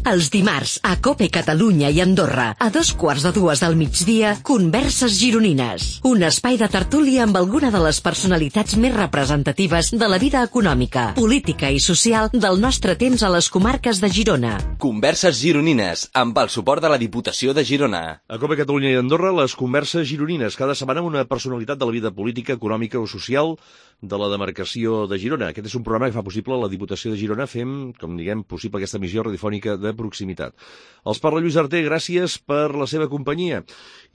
Els dimarts, a COPE Catalunya i Andorra, a 2:15 del migdia, Converses Gironines. Un espai de tertúlia amb alguna de les personalitats més representatives de la vida econòmica, política i social del nostre temps a les comarques de Girona. Converses Gironines, amb el suport de la Diputació de Girona. A COPE Catalunya i Andorra, les Converses Gironines. Cada setmana una personalitat de la vida política, econòmica o social de la demarcació de Girona. Aquest és un programa que fa possible la Diputació de Girona. Fem, com diguem, possible aquesta emissió radiofònica de proximitat. Els parla Lluís Arter, gràcies per la seva companyia.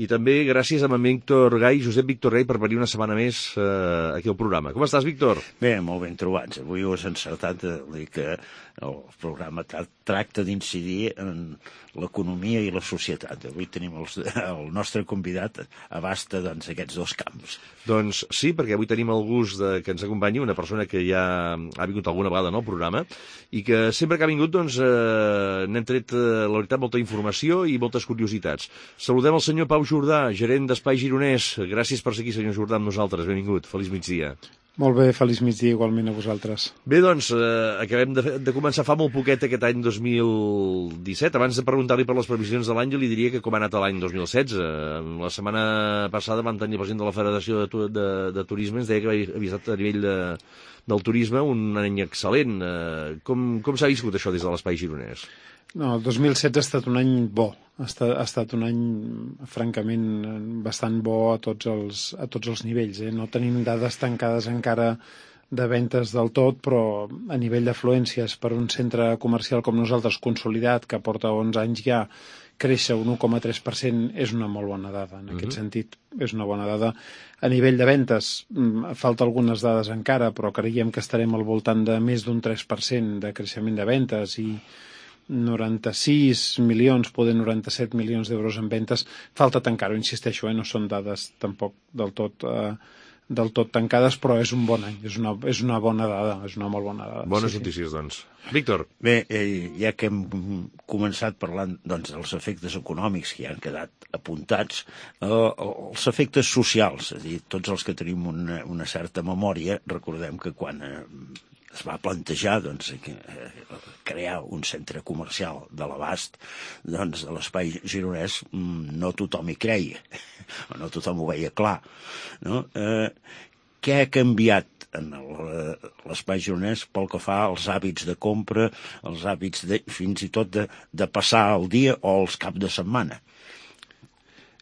I també gràcies a en Víctor Gai, Josep Víctor Gai, per venir una setmana més aquí al programa. Com estàs, Víctor? Bé, molt ben trobats. Avui ho has encertat de dir que el programa tracta d'incidir en l'economia i la societat. Avui tenim el nostre convidat abasta aquests dos camps. Doncs sí, perquè avui tenim el gust que ens acompanyi una persona que ja ha vingut alguna vegada al programa i que sempre que ha vingut n'hem tret, la veritat, molta informació i moltes curiositats. Saludem el senyor Pau Jordà, gerent d'Espai Gironès. Gràcies per ser aquí, senyor Jordà, amb nosaltres. Benvingut. Feliç migdia. Molt bé, feliç migdia igualment a vosaltres. Bé, doncs, acabem de començar fa molt poquet aquest any 2017. Abans de preguntar-li per les previsions de l'any, jo li diria que com ha anat l'any 2016. La setmana passada vam tenir el president de la Federació de Turisme, ens deia que havia estat a nivell del turisme un any excel·lent. Com s'ha viscut això des de l'Espai Gironès? No, el 2016 ha estat un any bo. Ha estat un any, francament, bastant bo a tots els nivells. No tenim dades tancades encara de ventes del tot, però a nivell d'afluències per un centre comercial com nosaltres, consolidat, que porta 11 anys ja, créixer un 1,3% és una molt bona dada. En aquest sentit, és una bona dada. A nivell de ventes, falta algunes dades encara, però creiem que estarem al voltant de més d'un 3% de creixement de ventes i 96 milions, poder 97 milions d'euros en ventes. Falta tancar-ho, insisteixo, no són dades tampoc del tot tancades, però és un bon any, és una bona dada, és una molt bona dada. Bones notícies, doncs. Víctor. Bé, ja que hem començat parlant dels efectes econòmics que ja han quedat apuntats, els efectes socials, és a dir, tots els que tenim una certa memòria, recordem que quan es va plantejar crear un centre comercial de l'abast de l'Espai Gironès, no tothom hi creia, no tothom ho veia clar. No? Què ha canviat en l'Espai Gironès pel que fa als hàbits de compra, els hàbits fins i tot de passar el dia o els caps de setmana?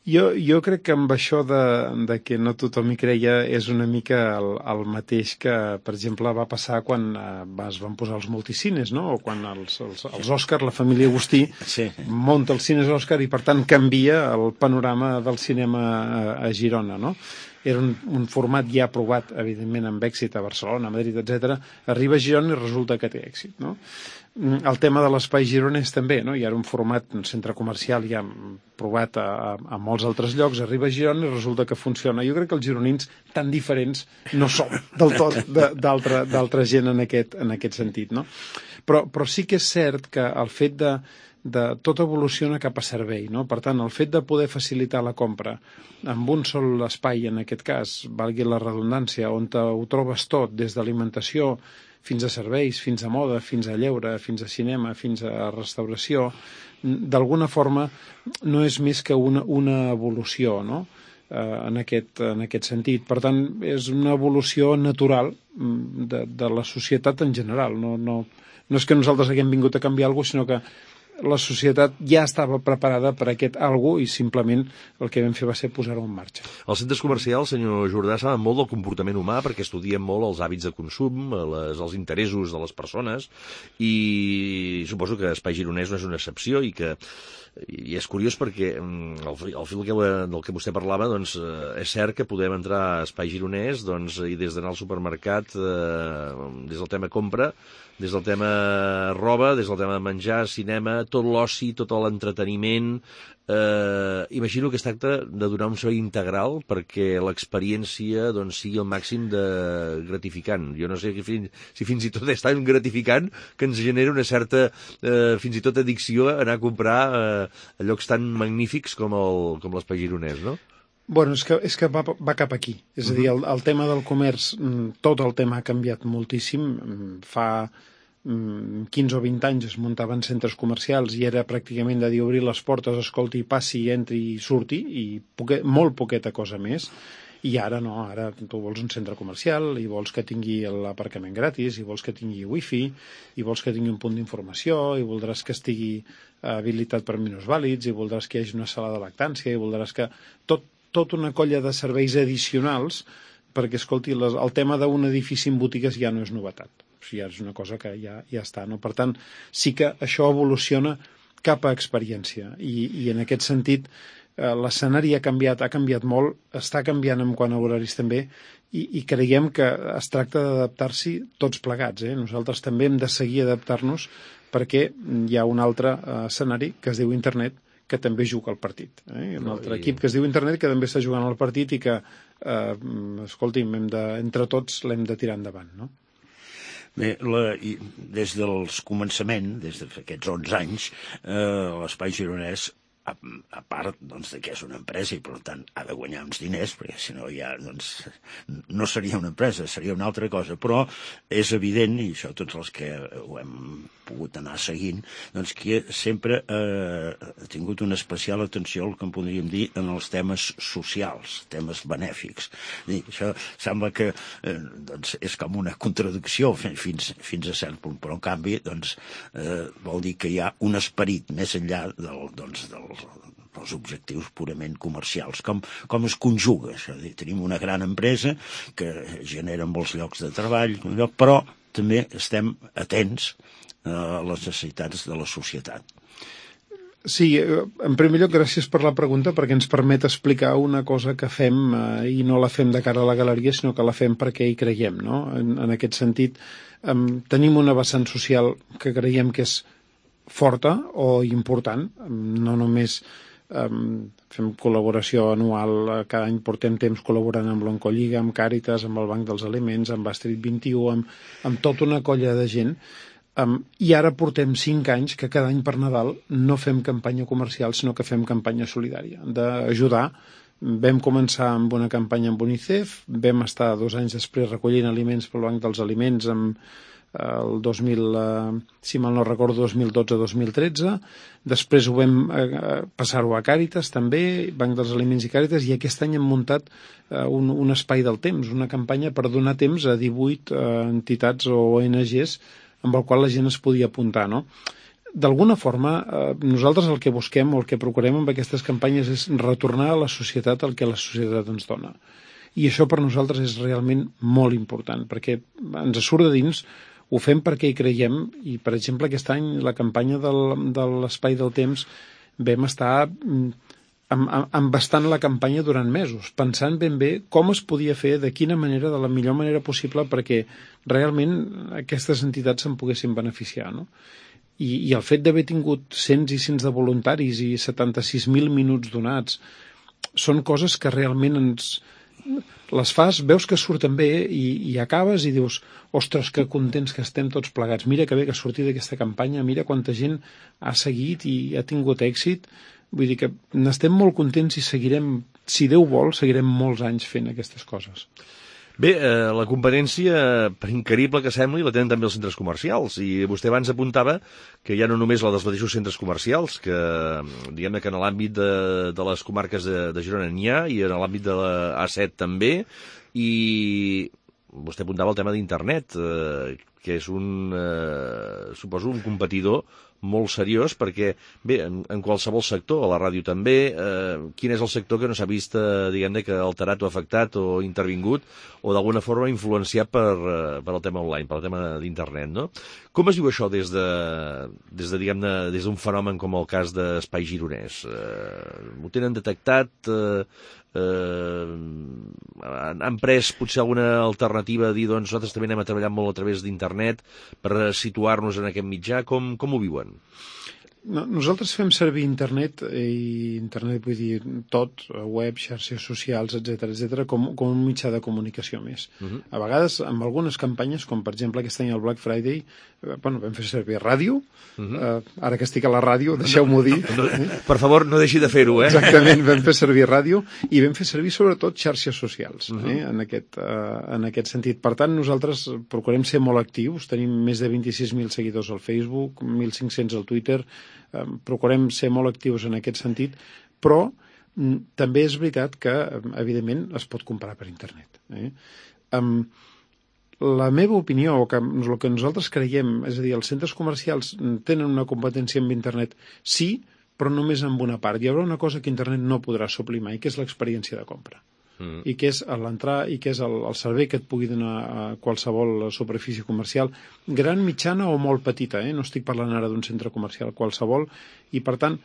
Jo crec que amb això de que no tothom hi creia és una mica el mateix que, per exemple, va passar quan es van posar els multicines, no? O quan els Òscar, la família Agustí, munta els cines Òscar i, per tant, canvia el panorama del cinema a Girona, no? Era un format ja aprovat, evidentment, amb èxit a Barcelona, a Madrid, etc. Arriba a Girona i resulta que té èxit, no? El tema de l'Espai Gironès també, no? Hi ha un format, un centre comercial ja provat a molts altres llocs, arriba a Girona i resulta que funciona. Jo crec que els gironins tan diferents no som del tot d'altra gent en aquest sentit, no? Però sí que és cert que el fet de tot evoluciona cap a servei, no? Per tant, el fet de poder facilitar la compra amb un sol espai, en aquest cas, valgui la redundància, on ho trobes tot, des d'alimentació fins a serveis, fins a moda, fins a lleure, fins a cinema, fins a restauració, d'alguna forma no és més que una evolució, no? En aquest sentit. Per tant, és una evolució natural de la societat en general. No és que nosaltres haguem vingut a canviar alguna cosa, sinó que la societat ja estava preparada per aquest algo i simplement el que vam fer va ser posar-ho en marxa. Els centres comercials, senyor Jordà, saben molt del comportament humà perquè estudien molt els hàbits de consum, els interessos de les persones i suposo que Espai Gironès no és una excepció i és curiós perquè al fil del que vostè parlava, doncs, és cert que podem entrar a Espai Gironès i des d'anar al supermercat, des del tema compra, des del tema roba, des del tema menjar, cinema, tot l'oci, tot l'entreteniment. Imagino que es tracta de donar un servei integral perquè l'experiència sigui el màxim de gratificant. Jo no sé si fins i tot és tan gratificant que ens genera una certa fins i tot addicció a anar a comprar a llocs tan magnífics com l'Espai Gironès, no? Bueno, és que va cap aquí. És a dir, el tema del comerç, tot el tema ha canviat moltíssim. Fa 15 o 20 anys es muntaven centres comercials i era pràcticament de dir obrir les portes, escolti, passi, entri i surti, i molt poqueta cosa més. I ara no, ara tu vols un centre comercial i vols que tingui l'aparcament gratis, i vols que tingui wifi, i vols que tingui un punt d'informació, i voldràs que estigui habilitat per minusvàlids, i voldràs que hi hagi una sala de lactància, i voldràs que... Tot una colla de serveis addicionals, perquè, escolti, el tema d'un edifici amb botigues ja no és novetat. O sigui, ja és una cosa que ja està, no? Per tant, sí que això evoluciona cap a experiència, i en aquest sentit l'escenari ha canviat molt, està canviant en quant a horaris també, i creiem que es tracta d'adaptar-s'hi tots plegats. Nosaltres també hem de seguir adaptar-nos, perquè hi ha un altre escenari que es diu internet, que també juga al partit. Un altre equip que es diu internet que també està jugant al partit i que, escolti'm, entre tots l'hem de tirar endavant, no? Bé, des dels començaments, des d'aquests 11 anys, l'Espai Gironès, a part doncs, que és una empresa i per tant ha de guanyar uns diners, perquè si no ja doncs, no seria una empresa, seria una altra cosa, però és evident, i això tots els que ho hem pogut anar seguint, doncs que sempre ha tingut una especial atenció al que en podríem dir en els temes socials, temes benèfics. I això sembla que doncs, és com una contradicció fins a cert punt, però en canvi doncs, vol dir que hi ha un esperit més enllà dels objectius purament comercials. Com es conjuga això? Tenim una gran empresa que genera molts llocs de treball, però també estem atents a les necessitats de la societat. Sí, en primer lloc, gràcies per la pregunta, perquè ens permet explicar una cosa que fem i no la fem de cara a la galeria, sinó que la fem perquè hi creiem, no? En aquest sentit, tenim una vessant social que creiem que és forta o important, no només fem col·laboració anual, cada any portem temps col·laborant amb l'Oncolliga, amb Càritas, amb el Banc dels Aliments, amb Astrid 21, amb tota una colla de gent, i ara portem 5 anys que cada any per Nadal no fem campanya comercial, sinó que fem campanya solidària, d'ajudar. Vam començar amb una campanya amb UNICEF, vam estar 2 anys després recollint aliments pel Banc dels Aliments el 2000, si mal no recordo, 2012-2013, després ho vam passar-ho a Càritas també, Banc dels Aliments i Càritas, i aquest any hem muntat un espai del temps, una campanya per donar temps a 18 entitats o ONGs amb el qual la gent es podia apuntar, no? D'alguna forma, nosaltres el que busquem o el que procurem amb aquestes campanyes és retornar a la societat el que la societat ens dona. I això per nosaltres és realment molt important, perquè ens surt de dins, ho fem perquè hi creiem, i per exemple aquest any la campanya de l'Espai del Temps vam estar embastant la campanya durant mesos, pensant ben bé com es podia fer, de quina manera, de la millor manera possible, perquè realment aquestes entitats se'n poguessin beneficiar, no? I el fet d'haver tingut cents i cents de voluntaris i 76.000 minuts donats són coses que realment les fas, veus que surten bé i acabes i dius, ostres, que contents que estem tots plegats, mira que bé que ha sortit aquesta campanya, mira quanta gent ha seguit i ha tingut èxit. Vull dir que n'estem molt contents i seguirem, si Déu vol, seguirem molts anys fent aquestes coses. Bé, la competència, per increïble que sembli, la tenen també els centres comercials, i vostè abans apuntava que ja no només la dels mateixos centres comercials, que diguem-ne que en l'àmbit de les comarques de Girona n'hi ha, i en l'àmbit de la A7 també, i vostè apuntava el tema d'internet, que és suposo, un competidor molt seriós, perquè, bé, en qualsevol sector, a la ràdio també, quin és el sector que no s'ha vist, diguem-ne, que alterat o afectat o intervingut, o d'alguna forma influenciat per el tema online, per el tema d'internet, no? Com es diu això des diguem-ne, des d'un fenomen com el cas d'Espai Gironès? Ho tenen detectat? Han pres potser alguna alternativa a dir, doncs nosaltres també anem a treballar molt a través d'internet per situar-nos en aquest mitjà? Com ho viuen? Nosaltres fem servir internet, i internet vull dir tot, web, xarxes socials, etc com un mitjà de comunicació més. A vegades, amb algunes campanyes, com per exemple aquest any el Black Friday, vam fer servir ràdio, ara que estic a la ràdio, deixeu-m'ho dir. Per favor, no deixi de fer-ho, Exactament, vam fer servir ràdio i vam fer servir sobretot xarxes socials, en aquest sentit. Per tant, nosaltres procurem ser molt actius, tenim més de 26.000 seguidors al Facebook, 1.500 al Twitter, procurem ser molt actius en aquest sentit, però també és veritat que, evidentment, es pot comprar per internet. La meva opinió, o el que nosaltres creiem, és a dir, els centres comercials tenen una competència amb internet, sí, però només en una part. Hi haurà una cosa que internet no podrà suplir mai, que és l'experiència de compra. I que és l'entrar i que és el servei que et pugui donar a qualsevol superfície comercial, gran, mitjana o molt petita, no estic parlant ara d'un centre comercial, qualsevol, i per tant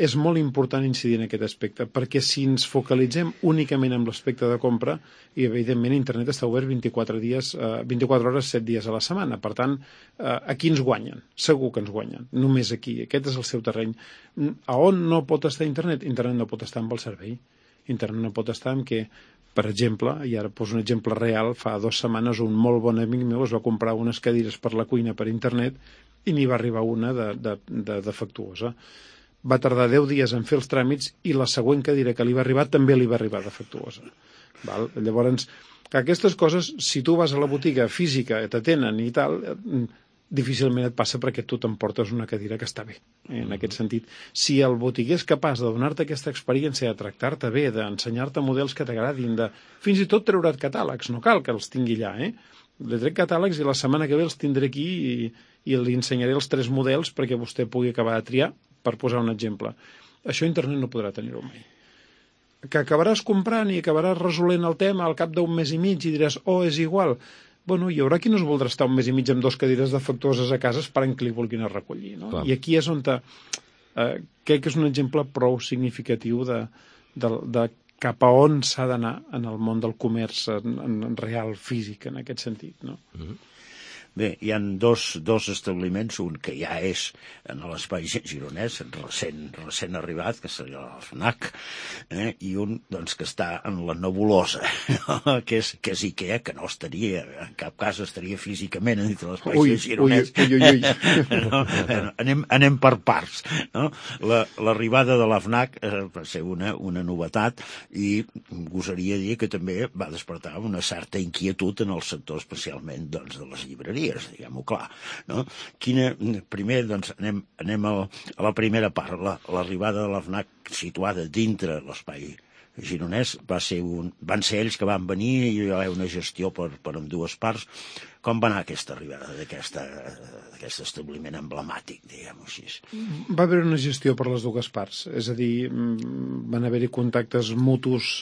és molt important incidir en aquest aspecte, perquè si ens focalitzem únicament en l'aspecte de compra, i evidentment internet està obert 24 hores, 7 dies a la setmana, per tant, aquí ens guanyen, segur que ens guanyen, només aquí, aquest és el seu terreny. A on no pot estar internet? Internet no pot estar amb el servei. Internet no pot estar en què, per exemple, i ara poso un exemple real, fa 2 setmanes un molt bon amic meu es va comprar unes cadires per la cuina per internet i n'hi va arribar una de defectuosa. Va tardar 10 dies en fer els tràmits i la següent cadira que li va arribar també li va arribar defectuosa. Val? Llavors, aquestes coses, si tu vas a la botiga física, t'atenen i tal, difícilment et passa perquè tu t'emportes una cadira que està bé, en aquest sentit. Si el botiguer és capaç de donar-te aquesta experiència, de tractar-te bé, d'ensenyar-te models que t'agradin, fins i tot treure't catàlegs, no cal que els tingui allà, Li trec catàlegs i la setmana que ve els tindré aquí i li ensenyaré els 3 models perquè vostè pugui acabar de triar, per posar un exemple. Això internet no podrà tenir-ho mai. Que acabaràs comprant i acabaràs resolent el tema al cap d'un mes i mig i diràs, és igual. Bueno, hi haurà qui no es voldrà estar un mes i mig amb 2 cadires defectuoses a casa esperant que li vulguin a recollir, no? I aquí és on crec que és un exemple prou significatiu de cap a on s'ha d'anar en el món del comerç en real físic, en aquest sentit, no? Bé, hi ha dos establiments, un que ja és en l'espai gironès, recent arribat, que seria el FNAC, i un doncs, que està en la nebulosa, que és Ikea, que no estaria, en cap cas estaria físicament dintre l'espai gironès. No, anem per parts. No? L'arribada de la FNAC va ser una novetat i gosaria dir que també va despertar una certa inquietud en el sector, especialment doncs, de les llibreries, diguem-ho clar. No? Primer, doncs, anem a la primera part. L'arribada de la FNAC situada dintre l'espai gironès van ser ells que van venir i hi va haver una gestió per ambdues parts. Com va anar aquesta arribada d'aquest establiment emblemàtic, diguem-ho així? Va haver una gestió per les dues parts, és a dir, van haver-hi contactes mutus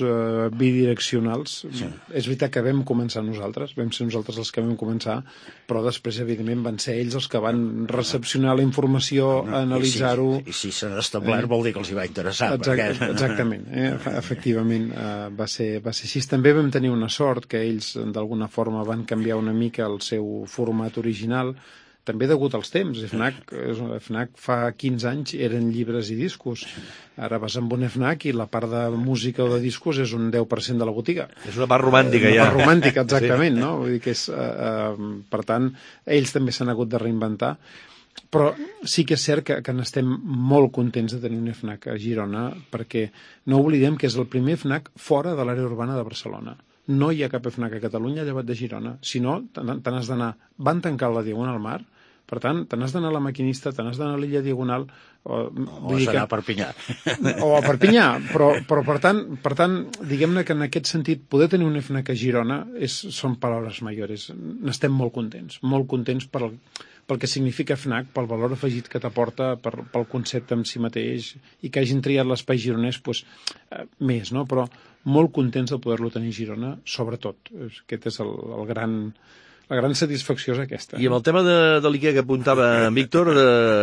bidireccionals. Sí. És veritat que vam començar nosaltres, vam ser nosaltres els que vam començar, però després, evidentment, van ser ells els que van recepcionar la informació, analitzar-ho... I si s'ha establert vol dir que els hi va interessar. Exactament, efectivament, va ser així. També vam tenir una sort que ells, d'alguna forma, van canviar una mica el seu format original, també degut als temps. FNAC fa 15 anys eren llibres i discos. Ara vas amb un FNAC i la part de música o de discos és un 10% de la botiga. És una part romàntica, ja. Una part romàntica, exactament, sí. No? Vull dir que per tant, ells també s'han hagut de reinventar. Però sí que és cert que n'estem molt contents de tenir un FNAC a Girona, perquè no oblidem que és el primer FNAC fora de l'àrea urbana de Barcelona. No hi ha cap FNAC a Catalunya llevat de Girona. Si no, te n'has d'anar. Van tancar la Diagonal Mar, per tant, te n'has d'anar a la Maquinista, te n'has d'anar a l'Illa Diagonal... O has d'anar a Perpinyà. O a Perpinyà, però per tant, diguem-ne que en aquest sentit, poder tenir un FNAC a Girona són paraules mayores. N'estem molt contents pel que significa FNAC, pel valor afegit que t'aporta, pel concepte en si mateix, i que hagin triat l'espai gironès més, no? Però molt contents de poder-lo tenir a Girona, sobretot. Aquest és La gran satisfacció és aquesta. I amb el tema de l'IKEA que apuntava en Víctor,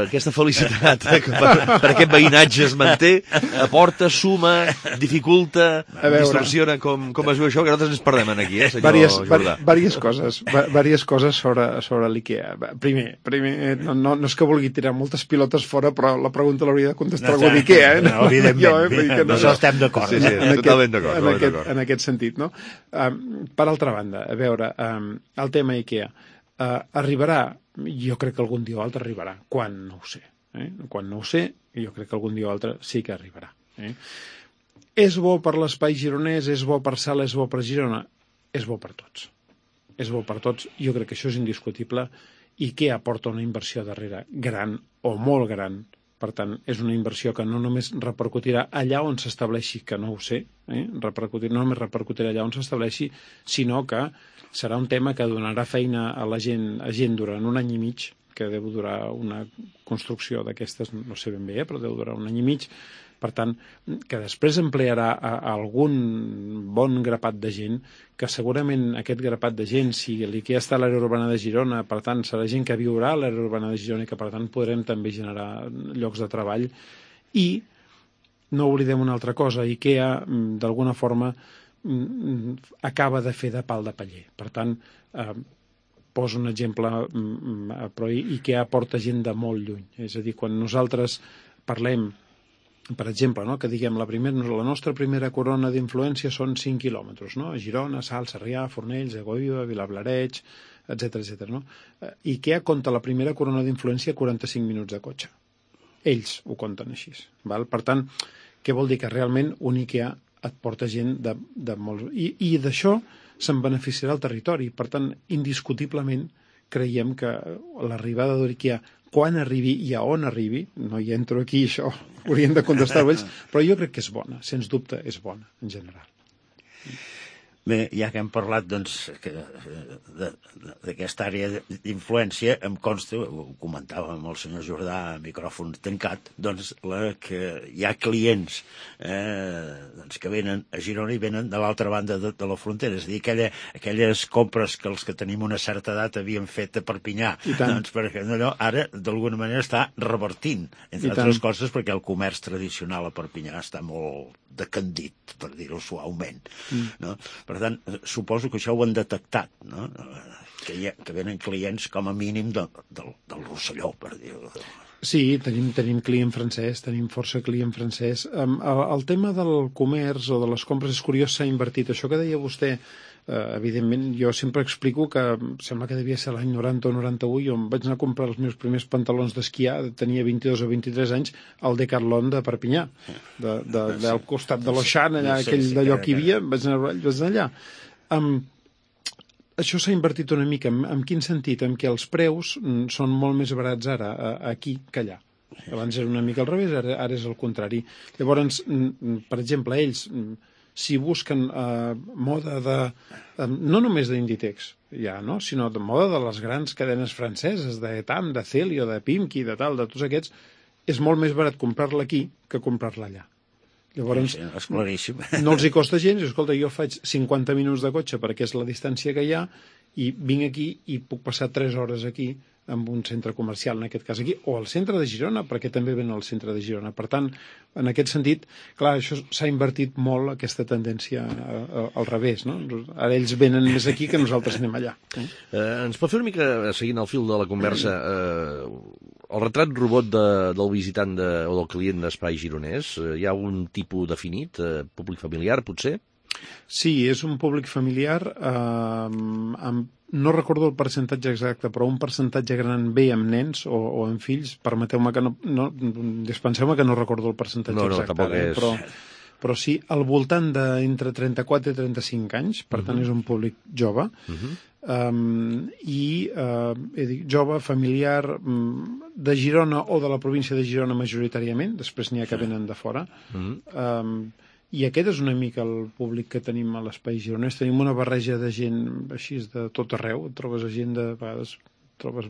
aquesta felicitat que per aquest veïnatge es manté, aporta, suma, dificulta, distorsiona, com es veu això, que nosaltres ens perdem aquí, senyor Jordà. Diverses coses sobre l'IKEA. Primer, no és que vulgui tirar moltes pilotes fora, però la pregunta l'hauria de contestar algú d'IKEA. No, evidentment, no estem d'acord. Sí, totalment d'acord. En aquest sentit, no? Per altra banda, a veure, el tema IKEA arribarà, jo crec que algun dia o altre arribarà. Quan? No ho sé. Quan no ho sé, jo crec que algun dia o altre sí que arribarà. És bo per l'espai gironès, és bo per Sala, és bo per Girona? És bo per tots. És bo per tots, jo crec que això és indiscutible. IKEA aporta una inversió darrere gran o molt gran. Per tant, és una inversió que no només repercutirà allà on s'estableixi, que no ho sé, no només repercutirà allà on s'estableixi, sinó que serà un tema que donarà feina a la gent durant un any i mig, que deu durar una construcció d'aquestes, no sé ben bé, però deu durar un any i mig. Per tant, que després emplearà algun bon grapat de gent, que segurament aquest grapat de gent, si l'IKEA està a l'àrea urbana de Girona, per tant, serà gent que viurà a l'àrea urbana de Girona i que, per tant, podrem també generar llocs de treball. I no oblidem una altra cosa, IKEA, d'alguna forma, acaba de fer de pal de paller. Per tant, poso un exemple, però IKEA porta gent de molt lluny. És a dir, quan nosaltres parlem, per exemple, no? Que diguem la nostra primera corona d'influència són 5 quilòmetres, no? A Girona, Salt, Sarrià, Fornells, Egoiva, Vilablareig, etc. No? IKEA compta la primera corona d'influència 45 minuts de cotxe. Ells ho compten així. Val? Per tant, què vol dir? Que realment un IKEA et porta gent de molts... I d'això se'n beneficiarà el territori. Per tant, indiscutiblement, creiem que l'arribada d'IKEA, quan arribi i a on arribi, no hi entro aquí, això haurien de contestar ells, però jo crec que és bona, sens dubte és bona, en general. Bé, ja que hem parlat doncs, d'aquesta àrea d'influència, em consta, ho comentava amb el senyor Jordà a micròfon tancat, doncs, que hi ha clients doncs, que venen a Girona i venen de l'altra banda de la frontera. És a dir, aquelles compres que els que tenim una certa edat havien fet a Perpinyà, doncs, perquè allò ara d'alguna manera està revertint, entre altres coses perquè el comerç tradicional a Perpinyà està molt decandit, per dir-ho suaument. No? Per tant, suposo que això ho han detectat, no? Que venen clients com a mínim del Rosselló, per dir-ho. Sí, tenim client francès, tenim força client francès. El tema del comerç o de les compres és curiós, s'ha invertit. Això que deia vostè, evidentment, jo sempre explico que sembla que devia ser l'any 90 o 91, jo em vaig anar a comprar els meus primers pantalons d'esquiar, tenia 22 o 23 anys, al Decathlon de Perpinyà, del costat de l'Oixant, allà, aquell d'allò que hi havia, vaig anar allà. Això s'ha invertit una mica. En quin sentit? En què els preus són molt més barats ara aquí que allà. Abans era una mica al revés, ara és el contrari. Llavors, per exemple, ells, si busquen moda no només d'Inditex, ja, no? Sinó de moda de les grans cadenes franceses, d'Etam, de Celio, de Pimki, de tal, de tots aquests, és molt més barat comprar-la aquí que comprar-la allà. Llavors, és claríssim. No els hi costa gens. Escolta, jo faig 50 minuts de cotxe perquè és la distància que hi ha i vinc aquí i puc passar 3 hores aquí amb un centre comercial, en aquest cas aquí, o al centre de Girona, perquè també ven al centre de Girona. Per tant, en aquest sentit, clar, això s'ha invertit molt, aquesta tendència al revés, no? Ara ells venen més aquí que nosaltres anem allà. Ens pot fer una mica, seguint el fil de la conversa, el retrat robot del visitant o del client d'Espai Gironès? Hi ha un tipus definit, públic familiar, potser? Sí, és un públic familiar no recordo el percentatge exacte, però un percentatge gran ve amb nens o amb fills. Permeteu-me que dispenseu-me que no recordo el percentatge exacte, però sí, al voltant d'entre 34 i 35 anys, per tant és un públic jove, jove, familiar, de Girona o de la província de Girona majoritàriament, després n'hi ha que venen de fora, i aquest és una mica el públic que tenim a l'Espai Gironès. Tenim una barreja de gent així de tot arreu. Trobes gent de vegades,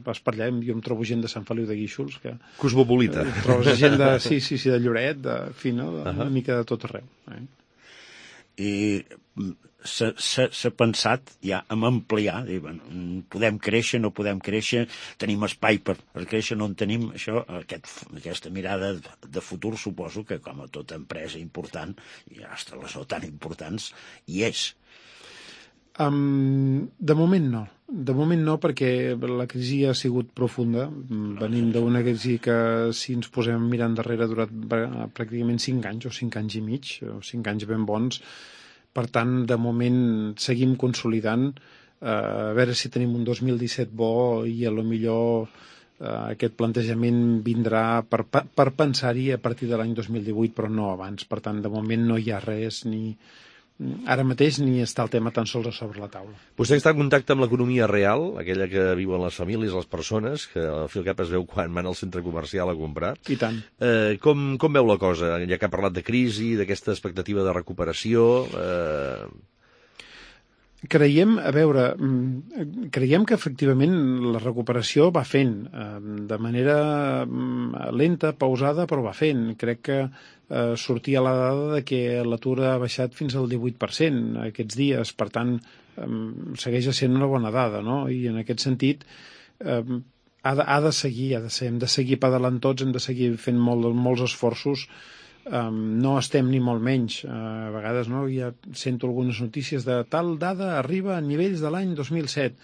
vas per allà, jo em trobo gent de Sant Feliu de Guíxols. Cosmopolita. Trobes gent de, sí, de Lloret, una mica de tot arreu. I s'ha pensat ja en ampliar, dir, bueno, podem créixer, no podem créixer, tenim espai per créixer, no en tenim, això, aquesta mirada de futur suposo que com a tota empresa important, i hasta les no tan importants, hi és. De moment no, perquè la crisi ha sigut profunda. Venim d'una crisi que, si ens posem a mirar endarrere, ha durat pràcticament 5 anys o 5 anys i mig, o 5 anys ben bons. Per tant, de moment seguim consolidant, a veure si tenim un 2017 bo i a lo millor aquest plantejament vindrà per pensar-hi a partir de l'any 2018, però no abans. Per tant, de moment no hi ha res ara mateix ni està el tema tan sols a sobre la taula. Vostè està en contacte amb l'economia real, aquella que viuen les famílies, les persones, que al fi al cap es veu quan van al centre comercial a comprar. I tant. Com veu la cosa? Ja que ha parlat de crisi, d'aquesta expectativa de recuperació... Creiem que efectivament la recuperació va fent de manera lenta, pausada, però va fent. Crec que sortia la dada de que l'atur ha baixat fins al 18% aquests dies, per tant segueix sent una bona dada, no? I en aquest sentit ha de seguir, hem de seguir pedalant tots, hem de seguir fent molts esforços. No estem ni molt menys, a vegades no, ja sento algunes notícies de tal dada arriba a nivells de l'any 2007.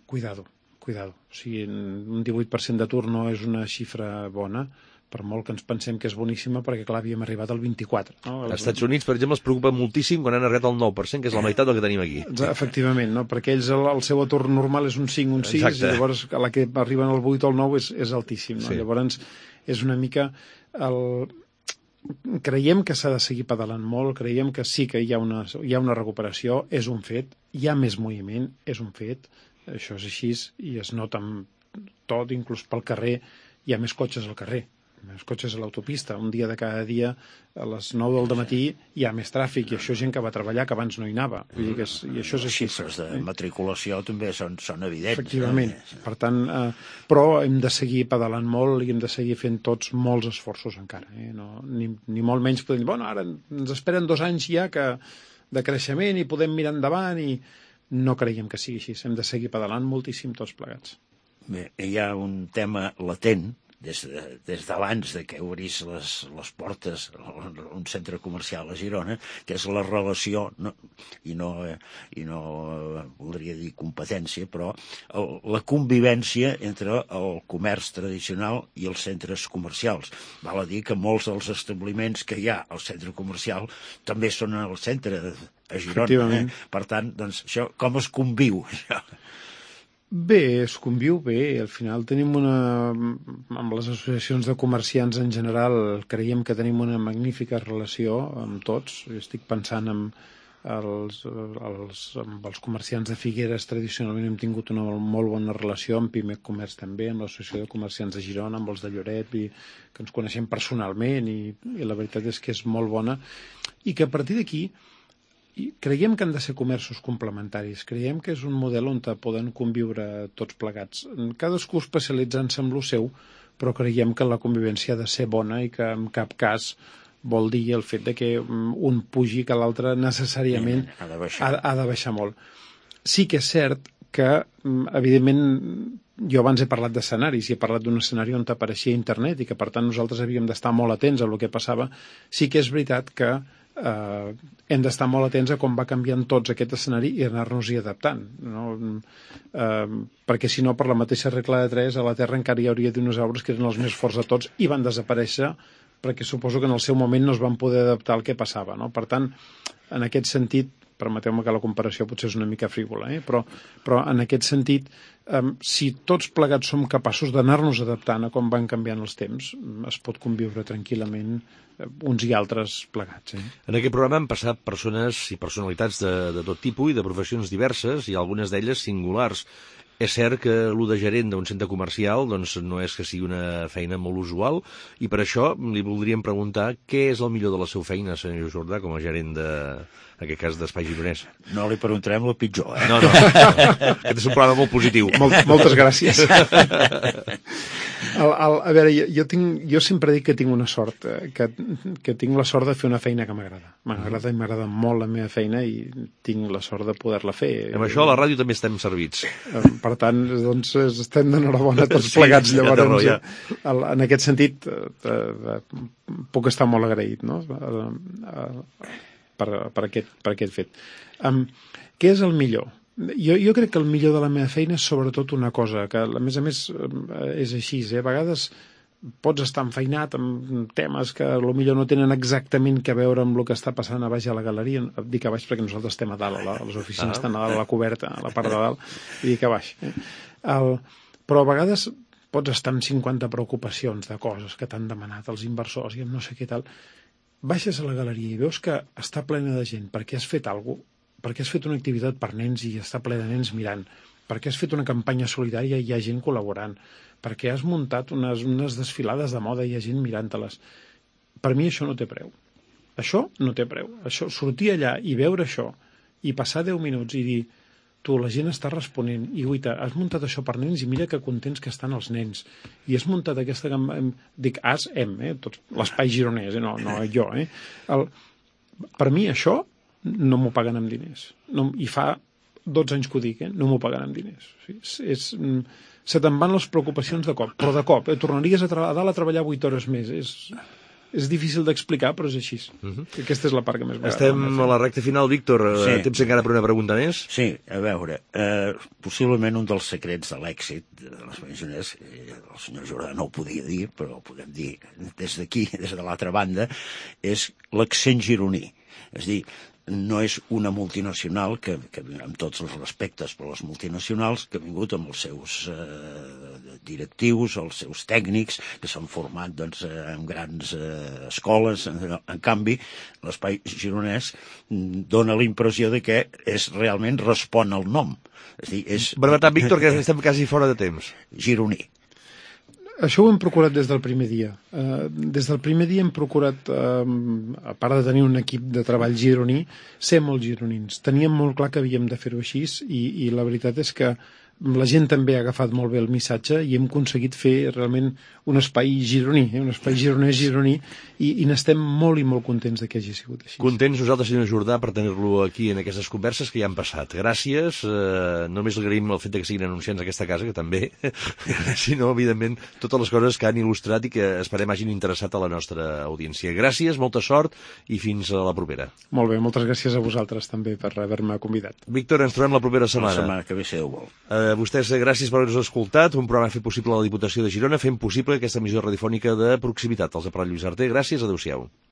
Cuidado. O sigui, un 18% d'atur no és una xifra bona, per molt que ens pensem que és boníssima, perquè clar, havíem arribat al 24%. No? Als Estats Units, per exemple, es preocupa moltíssim quan han arribat al 9%, que és la meitat del que tenim aquí. Efectivament, no? Perquè ells el seu atur normal és un 5, un 6, exacte. I llavors a la que arriben al 8 o al 9 és altíssim. No? Sí. Llavors és una mica... Creiem que s'ha de seguir pedalant molt, creiem que sí que hi ha una recuperació, és un fet, hi ha més moviment, és un fet, això és així, i es nota tot, inclús pel carrer, hi ha més cotxes al carrer, més cotxes a l'autopista, un dia de cada dia a les 9 del matí hi ha més tràfic, i això és gent que va treballar que abans no hi anava, vull dir que i això és així. Les xifres de matriculació també són evidents. Efectivament, per tant, però hem de seguir pedalant molt i hem de seguir fent tots molts esforços encara, no, ni molt menys podem dir, bueno, ara ens esperen 2 anys ja de creixement i podem mirar endavant, i no creiem que sigui així, hem de seguir pedalant moltíssim tots plegats. Bé, hi ha un tema latent des d'abans de que obrís les portes un centre comercial a Girona, que és la relació, i no voldria dir competència, però la convivència entre el comerç tradicional i els centres comercials. Val a dir que molts dels establiments que hi ha al centre comercial també són al centre a Girona. Per tant, doncs, això, com es conviu, això? Bé, es conviu bé. Al final tenim amb les associacions de comerciants en general, creiem que tenim una magnífica relació amb tots. Estic pensant amb els comerciants de Figueres, tradicionalment hem tingut una molt bona relació, amb Pimec Comerç també, amb l'associació de comerciants de Girona, amb els de Lloret, que ens coneixem personalment, i la veritat és que és molt bona, i que a partir d'aquí creiem que han de ser comerços complementaris, creiem que és un model on poden conviure tots plegats, cadascú especialitzant-se en lo seu, però creiem que la convivència ha de ser bona i que en cap cas vol dir el fet de que un pugi que l'altre necessàriament ha de baixar molt. Sí que és cert que, evidentment, jo abans he parlat d'escenaris i he parlat d'un escenari on apareixia internet i que per tant nosaltres havíem d'estar molt atents a el que passava. Sí que és veritat que hem d'estar molt atents a com va canviant tots aquest escenari i anar-nos-hi adaptant, no? Perquè si no, per la mateixa regla de 3, a la Terra encara hi hauria dinosaures que eren els més forts de tots i van desaparèixer perquè suposo que en el seu moment no es van poder adaptar al que passava, no? Per tant, en aquest sentit, permeteu-me que la comparació potser és una mica frívola, però en aquest sentit, si tots plegats som capaços d'anar-nos adaptant a com van canviant els temps, es pot conviure tranquil·lament uns i altres plegats. En aquest programa han passat persones i personalitats de tot tipus i de professions diverses i algunes d'elles singulars. És cert que el de gerent d'un centre comercial doncs, no és que sigui una feina molt usual i per això li voldríem preguntar què és el millor de la seva feina, senyor Jordà, com a gerent en aquest cas d'Espai Gironès. No li preguntarem el pitjor, No. Aquest és un programa molt positiu. Moltes gràcies. A veure, jo sempre dic que tinc una sort, que tinc la sort de fer una feina que m'agrada. M'agrada molt la meva feina i tinc la sort de poder-la fer. Amb això a la ràdio també estem servits. Per tant, doncs, estem d'enhorabona tots plegats. Llavors, en aquest sentit, puc estar molt agraït, no?, per aquest fet. Què és el millor? Jo crec que el millor de la meva feina és sobretot una cosa, que a més és així, a vegades pots estar enfeinat amb temes que potser no tenen exactament a veure amb el que està passant a baix a la galeria. Dic a baix perquè nosaltres estem a dalt, les oficines estan a dalt, a la coberta, a la part de dalt, i dic a baix. Però a vegades pots estar amb 50 preocupacions de coses que t'han demanat els inversors i amb no sé què tal. Baixes a la galeria i veus que està plena de gent perquè has fet alguna cosa, perquè has fet una activitat per nens i està ple de nens mirant, perquè has fet una campanya solidària i hi ha gent col·laborant, perquè has muntat unes desfilades de moda i hi ha gent mirant-te-les. Per mi això no té preu. Això no té preu. Això, sortir allà i veure això i passar 10 minuts i dir tu, la gent està responent i guaita, has muntat això per nens i mira que contents que estan els nens i has muntat aquesta campanya, dic tots l'espai gironès, no jo, per mi això no m'ho paguen amb diners. I fa 12 anys que ho dic, no m'ho paguen amb diners. Se te'n van les preocupacions de cop, però de cop, tornaries a dalt a treballar 8 hores més. És difícil d'explicar, però és així. Aquesta és la part que més m'agrada. Estem a la recta final, Víctor. Temps encara per una pregunta més? Sí, a veure, possiblement un dels secrets de l'èxit de l'Espai Gironès, el senyor Jordà no ho podia dir, però ho podem dir des d'aquí, des de l'altra banda, és l'accent gironí. És a dir, no és una multinacional que amb tots els respectes per les multinacionals, que ha vingut amb els seus directius, els seus tècnics, que s'han format en grans escoles. En canvi, l'Espai Gironès dona la impressió de que realment respon al nom. És a dir, brevetat, Víctor, que estem quasi fora de temps. Gironí. Això ho hem procurat des del primer dia. Des del primer dia hem procurat, a part de tenir un equip de treball gironí, ser molt gironins. Teníem molt clar que havíem de fer-ho així i la veritat és que la gent també ha agafat molt bé el missatge i hem aconseguit fer realment un espai gironí, un espai gironès gironí, i n'estem molt i molt contents que hagi sigut així. Contents nosaltres, senyor Jordà, per tenir-lo aquí en aquestes converses que ja han passat. Gràcies. Només agraïm el fet que siguin anunciants d'aquesta casa, que també, sinó, evidentment, totes les coses que han il·lustrat i que esperem hagin interessat a la nostra audiència. Gràcies, molta sort i fins a la propera. Molt bé, moltes gràcies a vosaltres també per haver-me convidat. Víctor, ens trobem la propera setmana. La setmana que ve, si Déu vol. Vostès, gràcies per haver-nos escoltat. Un programa fet possible a la Diputació de Girona, fent possible aquesta emissió radiofònica de proximitat. Els ha parlat Lluís Arter. Gràcies, adéu-siau.